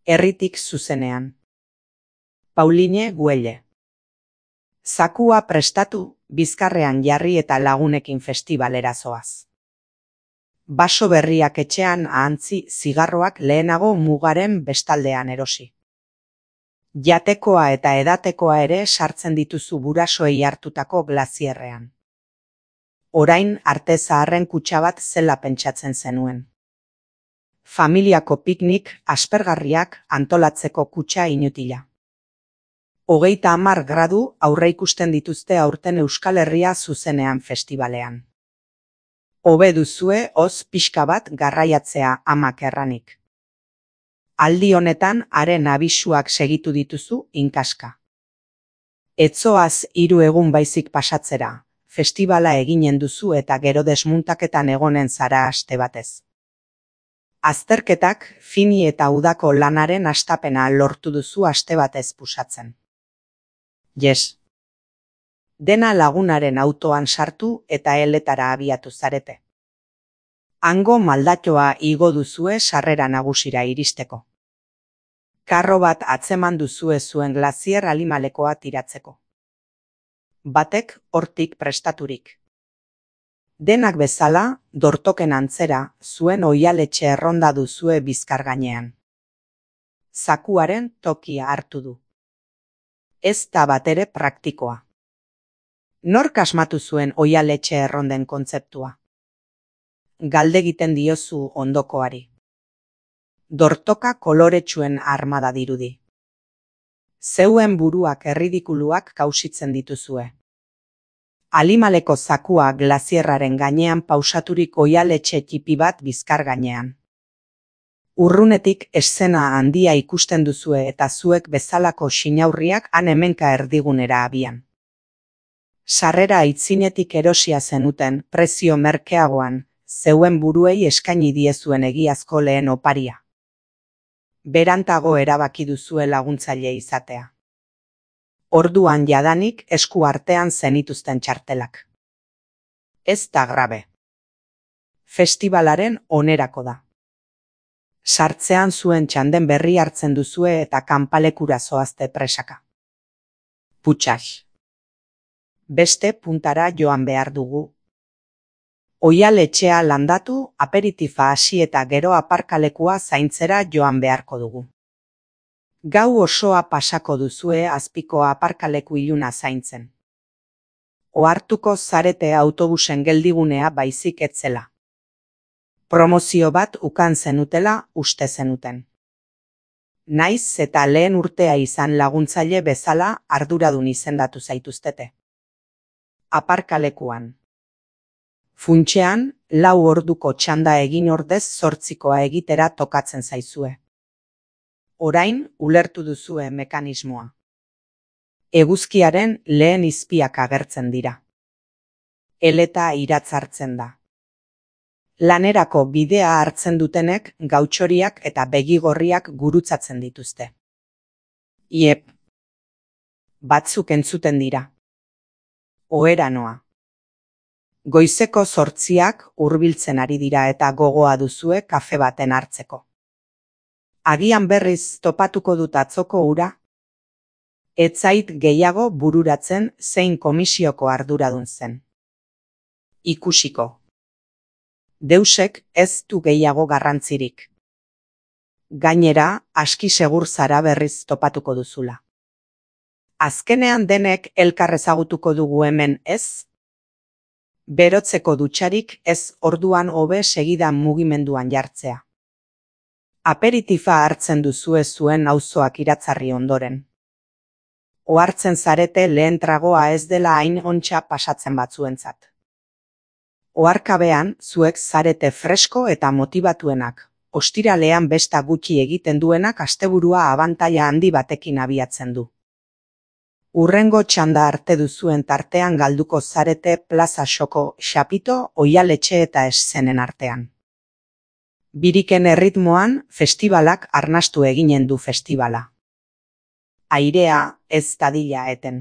Herritik zuzenean. Pauline Güelle. Zakua prestatu, bizkarrean jarri eta lagunekin festibalera zoaz. Baso berriak etxean ahantzi, zigarroak lehenago mugaren bestaldean erosi. Jatekoa eta edatekoa ere sartzen dituzu burasoei hartutako glazierrean. Orain arte zaharren kutxa bat zela pentsatzen zenuen. Familiako piknik aspergarriak antolatzeko kutxa inutila. 30 gradu aurreikusten dituzte aurten Euskal Herria zuzenean festivalean. Hobe duzue hoz pixka bat garraiatzea amak erranik. Aldi honetan haren abisuak segitu dituzu inkaska. Etzoaz 3 egun baizik pasatzera, festivala eginen duzu eta gero desmuntaketan egonen zara aste batez. Azterketak, fini eta udako lanaren hastapena lortu duzu aste batez pusatzen. Yes. Dena lagunaren autoan sartu eta eletara abiatu zarete. Hango maldatxoa igo duzue sarrera nagusira iristeko. Karro bat atzeman duzue zuen glazier alimalekoa tiratzeko. Batek hortik prestaturik. Denak bezala, dortoken antzera, zuen oihaletxe erronda duzue bizkar gainean. Zakuaren tokia hartu du. Ez da batere praktikoa. Nork asmatu zuen oihaletxe erronden kontzeptua? Galdegiten diozu ondokoari. Dortoka koloretsuen armada dirudi. Zeuen buruak erridikuluak kausitzen dituzue. Alimaleko zakua glazierraren gainean pausaturik oihaletxe txipi bat bizkar gainean. Urrunetik eszena handia ikusten duzue eta zuek bezalako sinaurriak han hemenka erdigunera abian. Sarrera aitzinetik erosia zenuten prezio merkeagoan, zeuen buruei eskaini diezuen egiazko lehen oparia. Berantago erabaki duzue laguntzaile izatea. Orduan jadanik esku artean zenituzten txartelak. Ez da grabe. Festivalaren onerako da. Sartzean zuen txanden berri hartzen duzue eta kanpalekura zoazte presaka. Putxax. Beste puntara joan behar dugu. Oihaletxea landatu, aperitifa hasi eta gero aparkalekua zaintzera joan beharko dugu. Gau osoa pasako duzue azpiko aparkaleku iluna zaintzen. Ohartuko zarete autobusen geldigunea baizik etzela. Promozio bat ukan zenutela uste zenuten. Naiz eta lehen urtea izan laguntzaile bezala arduradun izendatu zaituztete. Aparkalekuan. Funtxean, 4 orduko txanda egin ordez 8koa egitera tokatzen zaizue. Orain ulertu duzue mekanismoa. Eguzkiaren lehen izpiak agertzen dira. Eleta iratzartzen da. Lanerako bidea hartzen dutenek gautxoriak eta begigorriak gurutzatzen dituzte. Iep. Batzuk entzuten dira. Ohera noa. Goizeko 8ak hurbiltzen ari dira eta gogoa duzue kafe baten hartzeko. Agian berriz topatuko dut atzoko ura? Ez zait gehiago bururatzen zein komisioko arduradun zen. Ikusiko. Deusek ez du gehiago garrantzirik. Gainera, aski segur zara berriz topatuko duzula. Azkenean denek elkar ezagutuko dugu hemen ez? Berotzeko dutxarik ez orduan hobe segidan mugimenduan jartzea. Aperitifa hartzen duzue zuen auzoak iratzarri ondoren. Ohartzen zarete lehen tragoa ez dela hain ontsa pasatzen batzuentzat. Oharkabean zuek zarete fresko eta motibatuenak, ostiralean besta gutxi egiten duenak asteburua abantaila handi batekin abiatzen du. Urrengo txanda arte duzuen tartean galduko zarete plaza xoko, xapito, oihaletxe eta eszenen artean. Biriken erritmoan, festibalak arnastu eginen du festivala. Airea ez dadila eten.